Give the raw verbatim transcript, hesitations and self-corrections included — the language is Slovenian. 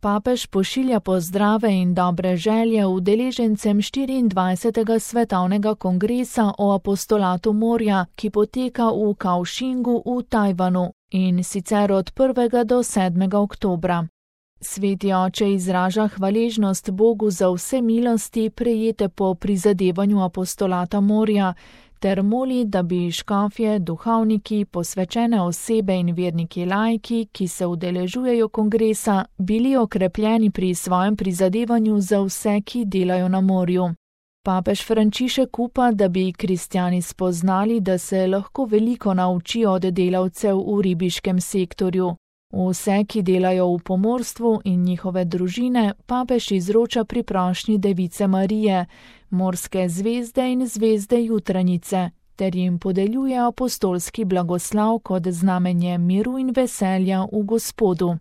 Papež pošilja pozdrave in dobre želje udeležencem štiriindvajsetega svetovnega kongresa o apostolatu morja, ki poteka v Kaohsingu v Tajvanu, in sicer od prvega do sedmega oktobra. Sveti oče izraža hvaležnost Bogu za vse milosti, prejete po prizadevanju apostolata morja, ter moli, da bi škofje, duhovniki, posvečene osebe in verniki laiki, ki se udeležujejo kongresa, bili okrepljeni pri svojem prizadevanju za vse, ki delajo na morju. Papež Frančišek upa, da bi kristjani spoznali, da se lahko veliko naučijo od delavcev v ribiškem sektorju. Vse, ki delajo v pomorstvu in njihove družine, papež izroča pri prošnji Device Marije, morske zvezde in zvezde jutranjice, ter jim podeljuje apostolski blagoslav kot znamenje miru in veselja v Gospodu.